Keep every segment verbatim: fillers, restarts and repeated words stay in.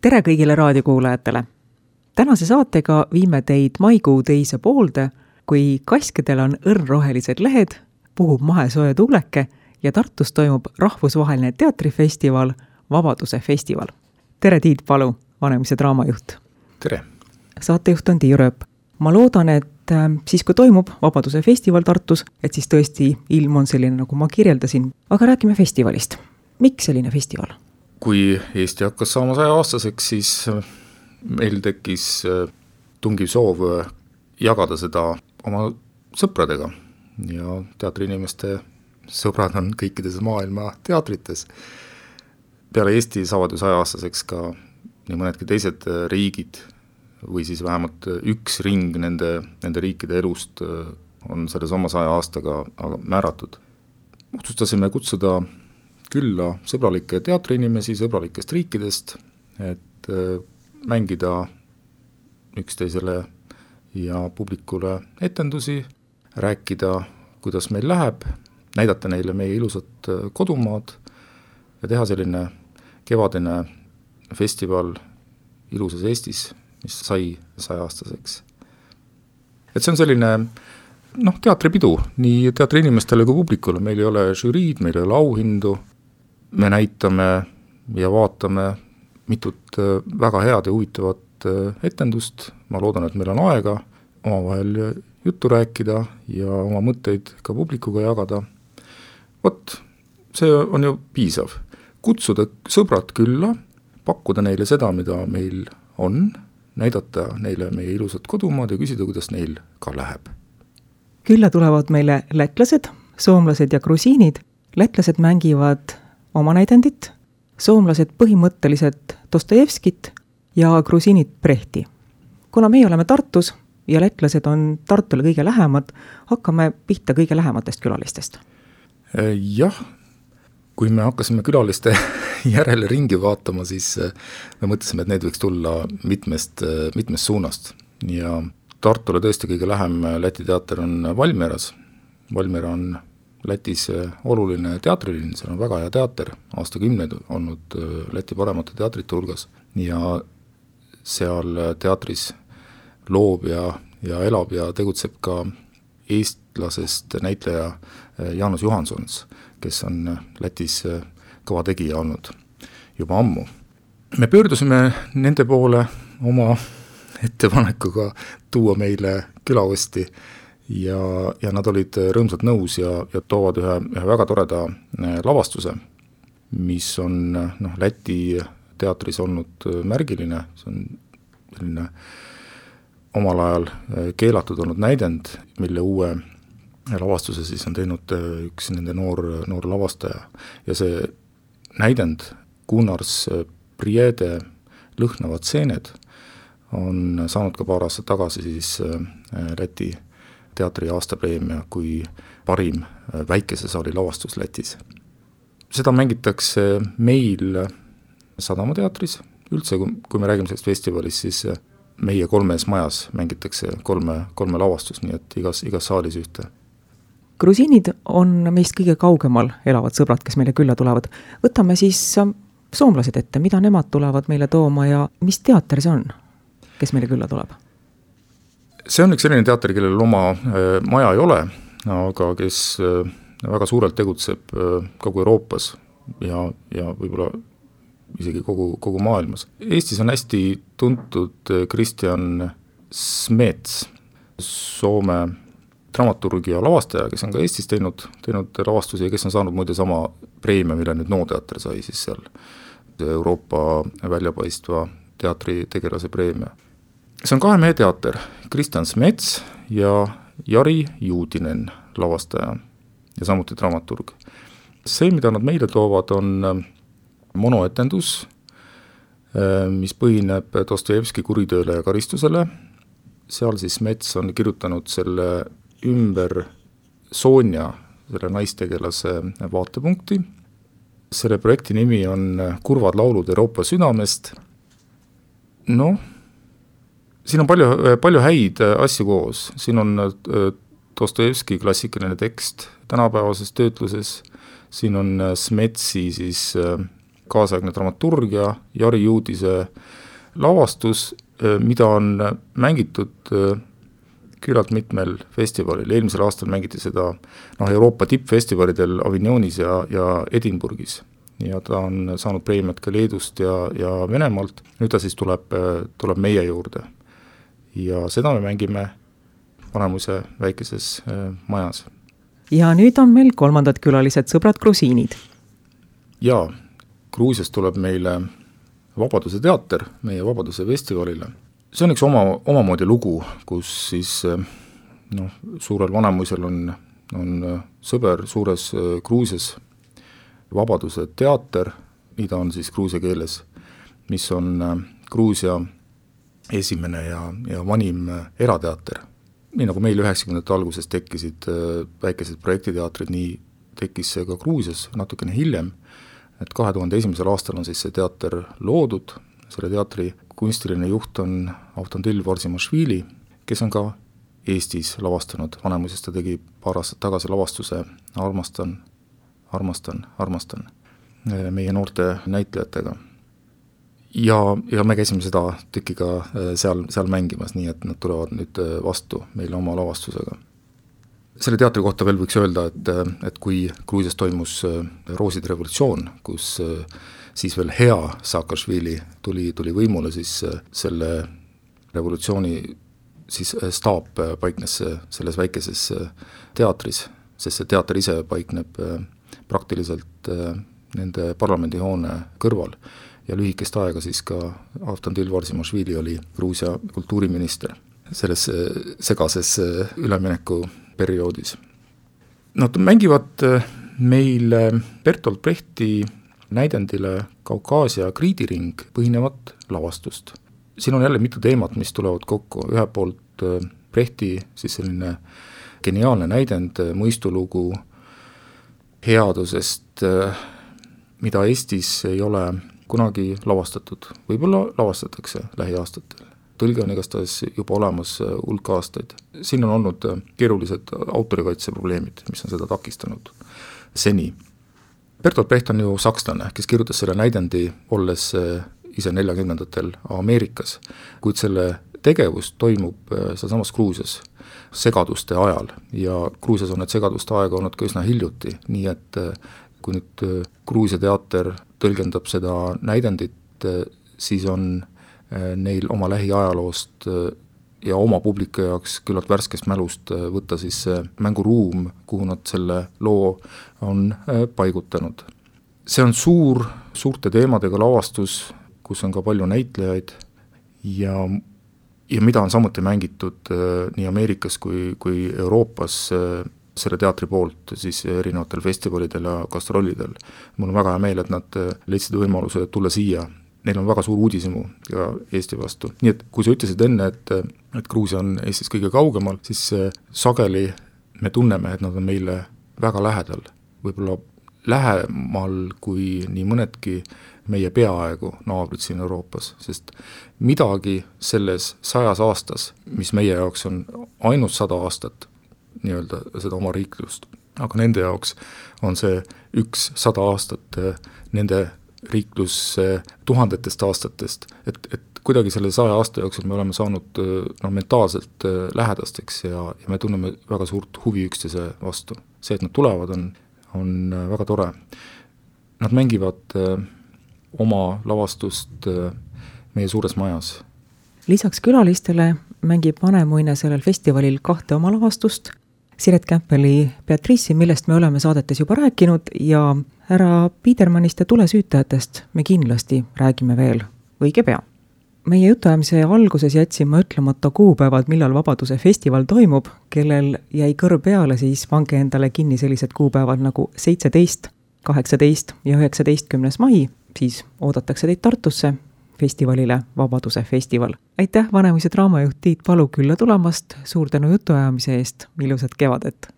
tere kõigile raadiokuulajatele! Tänase saatega viime teid maikuu teise poolde, kui Kaskedel on õrnrohelised lehed, puhub mahesooja tuuleke ja Tartus toimub rahvusvaheline teatrifestival Vabaduse festival. Tere Tiit Palu, Vanemuise draamajuht! Tere! Saatejuht on Tiiu Rööp. Ma loodan, et siis kui toimub Vabaduse festival Tartus, et siis tõesti ilm on selline, nagu ma kirjeldasin. Aga räägime festivalist. Miks selline festival? Kui Eesti hakkas saama saja aastaseks, siis meil tekkis tungiv soov jagada seda oma sõpradega. Ja teatriinimeste sõbrad on kõikides maailma teatrites. Peale Eesti saavad ju saja aastaseks ka nii mõnedki teised riigid või siis vähemalt üks ring nende, nende riikide elust on selles oma saja aastaga määratud. Otsustasime kutsuda külla sõbralikke teatriinimesi sõbralikest riikidest, et mängida üksteisele ja publikule etendusi, rääkida, kuidas meil läheb, näidata neile meie ilusat kodumaad ja teha selline kevadine festival ilusas Eestis, mis sai saja-aastaseks. Et see on selline noh, teatripidu, nii teatriinimestele kui publikule. Meil ei ole žüriid, meil ei ole auhindu. Me näitame ja vaatame mitut väga head ja huvitavat etendust. Ma loodan, et meil on aega omavahel juttu rääkida ja oma mõtteid ka publikuga jagada. Vot, see on ju piisav. Kutsuda sõbrad külla, pakkuda neile seda, mida meil on, näidata neile meie ilusat kodumaad ja küsida, kuidas neil ka läheb. Külla tulevad meile lätlased, soomlased ja grusiinid. Lätlased mängivad oma näidendit, soomlased põhimõtteliselt Dostojevskit ja grusiinid Brechti. Kuna meie oleme Tartus ja lätlased on Tartule kõige lähemad, hakkame pihta kõige lähematest külalistest. Jah, kui me hakkasime külaliste järele ringi vaatama, siis me mõtlesime, et need võiks tulla mitmest, mitmest suunast. Ja Tartule tõesti kõige lähem Läti teater on Valmieras. Valmiera on Lätis oluline teatrilinn, seal on väga hea teater, aastakümneid olnud Läti paremate teatrite hulgas. Ja seal teatris loob ja, ja elab ja tegutseb ka eestlasest näitleja Jaanus Johansons, kes on Lätis kõva tegija olnud juba ammu. Me pöördusime nende poole oma ettepanekuga tuua meile külaosti ja, ja nad olid rõõmsalt nõus ja, ja toovad ühe, ühe väga toreda lavastuse, mis on noh, Läti teatris olnud märgiline, see on selline omal ajal keelatud olnud näidend, mille uue lavastuse siis on teinud üks nende noor, noor lavastaja. Ja see näidend Gunnars Priede lõhnavad seened on saanud ka paar aastat tagasi siis Läti teatri aastapreemia kui parim väikese saali lavastus Lätis. Seda mängitakse meil Sadama teatris. Üldse, kui me räägime sellest festivalist, siis meie kolmes majas mängitakse kolme, kolme lavastust, nii et igas, igas saalis ühte. Grusiinid on meist kõige kaugemal elavad sõbrad, kes meile külla tulevad. Võtame siis soomlased ette, mida nemad tulevad meile tooma ja mis teater see on, kes meile külla tuleb? See on üks selline teater, kellel oma maja ei ole, aga kes väga suurelt tegutseb kogu Euroopas ja, ja võib-olla isegi kogu, kogu maailmas. Eestis on hästi tuntud Kristjan Smets, Soome dramaturg ja lavastaja, kes on ka Eestis teinud, teinud lavastusi ja kes on saanud muide sama preemia, mille nüüd Nooteater sai siis seal Euroopa väljapaistva teatri tegelase preemia. See on kahe mehe teater, Kristjan Smets ja Jari Juudinen lavastaja ja samuti dramaturg. See, mida nad meile toovad, on monoetendus, mis põhineb Dostojevski Kuritööle ja karistusele. Seal siis Smets on kirjutanud selle ümber Sonja, selle naistegelase vaatepunkti. Selle projekti nimi on Kurvad laulud Euroopa südamest. Noh, siin on palju, palju häid asju koos. Siin on Dostojevski klassikaline tekst tänapäevases töötluses. Siin on Smetsi siis kaasaegne dramaturgia, Jari Juudise lavastus, mida on mängitud küllalt mitmel festivalil. Eelmisel aastal mängiti seda noh, Euroopa tippfestivalidel Avignonis ja, ja Edinburghis. Ja ta on saanud preemiat ka Leedust ja, ja Venemaalt. Nüüd ta siis tuleb, tuleb meie juurde. Ja seda me mängime Vanemuise väikeses majas. Ja nüüd on meil kolmandad külalised, sõbrad grusiinid. Ja Gruusias tuleb meile Vabaduse teater meie Vabaduse festivalile. See on üks oma, omamoodi lugu, kus siis noh, suurel Vanemuisel on, on sõber suures Gruusias Vabaduse teater, mida on siis gruusia keeles, mis on Gruusia esimene ja, ja vanim erateater. Nii nagu meil üheksakümnendate alguses tekkisid väikesed projektiteatrid, nii tekkis see ka Gruusias natukene hiljem, et kahe tuhande esimesel aastal on siis see teater loodud. Selle teatri kunstiline juht on Avtandil Varsimašvili, kes on ka Eestis lavastanud. Vanemuises ta tegi paar aastat tagasi lavastuse Armastan, armastan, armastan meie noorte näitlejatega. Ja, ja me käisime seda tükiga seal, seal mängimas, nii et nad tulevad nüüd vastu meile oma lavastusega. Selle teatri kohta veel võiks öelda, et, et kui Gruusias toimus Rooside revolutsioon, kus siis veel hea Saakašvili tuli, tuli võimule, siis selle revolutsiooni siis staap paiknes selles väikeses teatris, sest see teater ise paikneb praktiliselt nende parlamendihoone kõrval ja lühikest aega siis ka Avtandil Varsimašvili oli Gruusia kultuuriminister selles segases ülemineku perioodis. Nad mängivad meil Bertolt Brechti näidendile Kaukaasia kriidiring põhinevat lavastust. Siin on jälle mitu teemat, mis tulevad kokku. Ühe poolt Brechti siis selline geniaalne näidend, mõistulugu headusest, mida Eestis ei ole kunagi lavastatud. Võib-olla lavastatakse lähiaastatel. Tõlge on igastahes juba olemas hulk aastaid. Siin on olnud keerulised autorikaitse probleemid, mis on seda takistanud seni. Bertolt Brecht on ju sakslane, kes kirjutas selle näidendi olles ise neljakümnendatel Ameerikas, kuid selle tegevus toimub sealsamas Gruusias segaduste ajal ja Gruusias on need segaduste aega olnud ka üsna hiljuti, nii et kui nüüd Gruusia teater tõlgendab seda näidendit, siis on neil oma lähiajaloost ja oma publiku jaoks küllalt värskest mälust võtta siis mänguruum, kuhu nad selle loo on paigutanud. See on suur, suurte teemadega lavastus, kus on ka palju näitlejaid ja, ja mida on samuti mängitud nii Ameerikas kui, kui Euroopas selle teatri poolt siis erinevatel festivalidel ja gastrolidel. Mul on väga hea meel, et nad leidsid võimaluse tulla siia. Neil on väga suur uudishimu ka Eesti vastu. Nii et kui sa ütlesid enne, et, et Gruusia on Eestis kõige kaugemal, siis sageli me tunneme, et nad on meile väga lähedal. Võib-olla lähemal kui nii mõnedki meie peaaegu naabrid siin Euroopas, sest midagi selles sajas aastas, mis meie jaoks on ainult sada aastat, nii-öelda seda oma riiklust, aga nende jaoks on see üks sada aastat nende riiklus tuhandetest aastatest, et, et kuidagi selle saja aasta jooksul me oleme saanud no, mentaalselt lähedasteks ja, ja me tunneme väga suurt huvi üksteise vastu. See, et nad tulevad, on, on väga tore. Nad mängivad oma lavastust meie suures majas. Lisaks külalistele mängib Vanemuine sellel festivalil kahte oma lavastust, Siret Kämpeli Beatrice'i, millest me oleme saadetes juba rääkinud ja härra Piedermannist ja tulesüütajatest me kindlasti räägime veel õige pea. Meie jutuajamise alguses jätsin ma ütlemata kuupäevad, millal Vabaduse festival toimub, kellel jäi kõrv peale, siis pange endale kinni sellised kuupäevad nagu seitseteist, kaheksateist ja üheksateistkümnes mai, siis oodatakse teid Tartusse festivalile Vabaduse festival. Aitäh, Vanemuise draamajuht Tiit Palu külla tulemast, suur tänu jutuajamise eest, ilusat kevadet!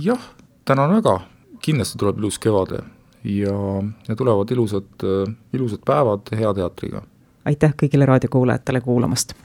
Jah, tänan väga, kindlasti tuleb ilus kevade ja, ja tulevad ilusad, ilusad päevad hea teatriga. Aitäh kõigile raadiokuulajatele kuulamast!